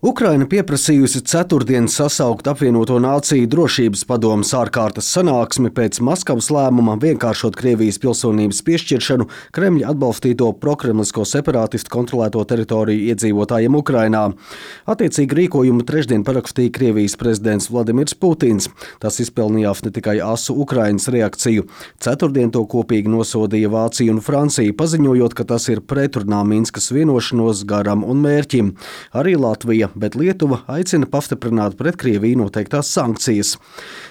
Ukraina pieprasījusi ceturtdien sasaukt apvienoto nāciju drošības padomes ārkārtas sanāksmi pēc Maskavas lēmuma vienkāršot Krievijas pilsonības piešķiršanu Kremļa atbalstīto prokremlisko separātistu kontrolēto teritoriju iedzīvotājiem Ukrainā. Attiecīgi rīkojumu trešdien parakstīja Krievijas prezidents Vladimirs Putins. Tas izpelnījās ne tikai asu Ukrainas reakciju. Ceturtdien to kopīgi nosodīja Vācija un Francija, paziņojot, ka tas ir pretrunā Minskas vienošanos garam un mērķim. Arī Latvija, bet Lietuva aicina pastiprināt pret Krieviju noteiktās sankcijas.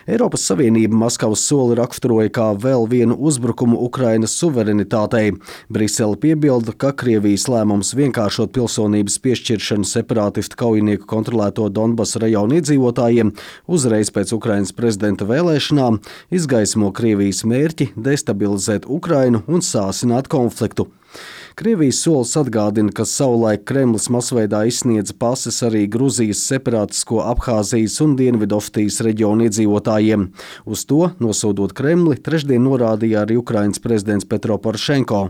Eiropas Savienība Maskavas soli raksturoja kā vēl vienu uzbrukumu Ukrainas suverenitātei. Brisele piebilda, ka Krievijas lēmums vienkāršot pilsonības piešķiršanu separātistu kaujinieku kontrolēto Donbasa rajonu iedzīvotājiem uzreiz pēc Ukrainas prezidenta vēlēšanām izgaismo Krievijas mērķi destabilizēt Ukrainu un sāsināt konfliktu. Krievijas solis atgādina, ka savulaik Kremlis masveidā izsniedza pases arī Gruzijas separātisko Abhāzijas un Dienvidosetijas reģionu iedzīvotājiem. Uz to, nosodot Kremli, trešdien norādīja arī Ukrainas prezidents Petro Porošenko.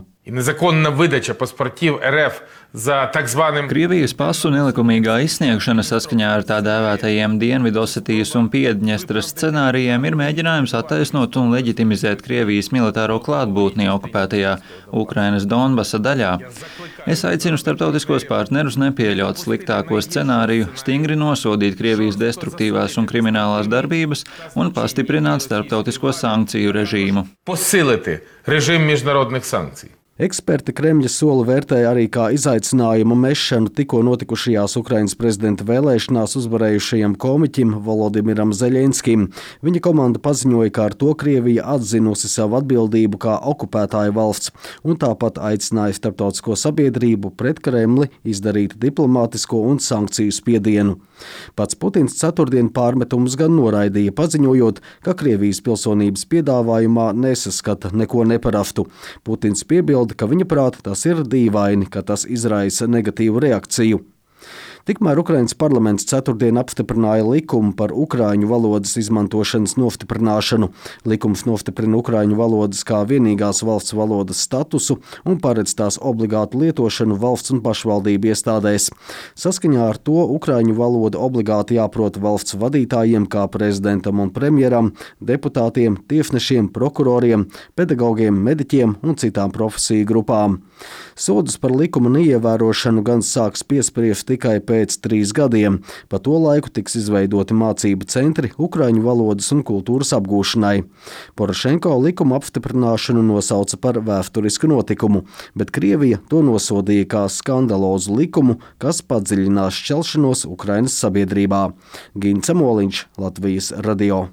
Krievijas pasu nelikumīgā izsniegšana saskaņā ar tā dēvētajiem Dienvidosetijas un Piedņestras scenārijiem ir mēģinājums attaisnot un leģitimizēt Krievijas militāro klātbūtni okupētajā Ukrainas Donbasa daļā. Es aicinu starptautiskos partnerus nepieļaut sliktāko scenāriju, stingri nosodīt Krievijas destruktīvās un kriminālās darbības un pastiprināt starptautisko sankciju režīmu. Eksperti Kremļa soli vērtēja arī kā izaicinājumu mešanu tikko notikušajās Ukrainas prezidenta vēlēšanās uzvarējušajam komiķim Volodimiram Zeļenskim. Viņa komanda paziņoja, ka ar to Krievija atzinusi savu atbildību kā okupētāja valsts un tāpat aicināja starptautisko sabiedrību pret Kremli izdarīt diplomātisko un sankciju spiedienu. Pats Putins ceturtdien pārmetumus gan noraidīja, paziņojot, ka Krievijas pilsonības piedāvājumā nesaskata neko neparastu. Putins piebilda, ka viņa prāta tas ir dīvaini, ka tas izraisa negatīvu reakciju. Tikmēr Ukrainas parlaments ceturtdien apstiprināja likumu par ukraiņu valodas izmantošanas nostiprināšanu. Likums nostiprina ukraiņu valodas kā vienīgās valsts valodas statusu un paredz tās obligātu lietošanu valsts un pašvaldību iestādēs. Saskaņā ar to ukraiņu valoda obligāti jāprot valsts vadītājiem kā prezidentam un premjeram, deputātiem, tiesnešiem, prokuroriem, pedagogiem, mediķiem un citām profesiju grupām. Sodus par likuma neievērošanu gan sāks piespriest tikai pēc 3 gadiem. Pa to laiku tiks izveidoti mācību centri ukraiņu valodas un kultūras apgūšanai. Porošenko likuma apstiprināšanu nosauca par vēsturisku notikumu, bet Krievija to nosodīja kā skandalozu likumu, kas padziļinās šķelšanos Ukrainas sabiedrībā. Gints Amoliņš, Latvijas radio.